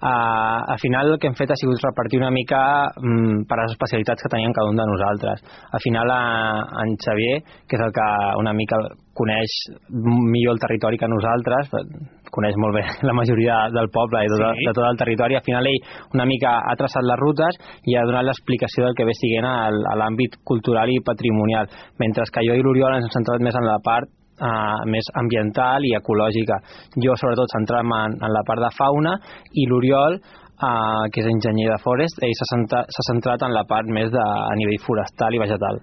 Al final el que hem fet ha sigut repartir una mica per les especialitats que teníem cada un de nosaltres. Al final en Xavier, que és el que una mica coneix millor el territori que nosaltres, coneix molt bé la majoria del poble i de tot el territori, al final ell una mica ha traçat les rutes i ha donat l'explicació del que ve siguent a l'àmbit cultural i patrimonial, mentre que jo i l'Oriol ens hem centrat més en la part més ambiental i ecològica. Jo sobretot centrat-me en la part de fauna i l'Oriol, que és enginyer de forest, ell s'ha centrat en la part més a nivell forestal i vegetal.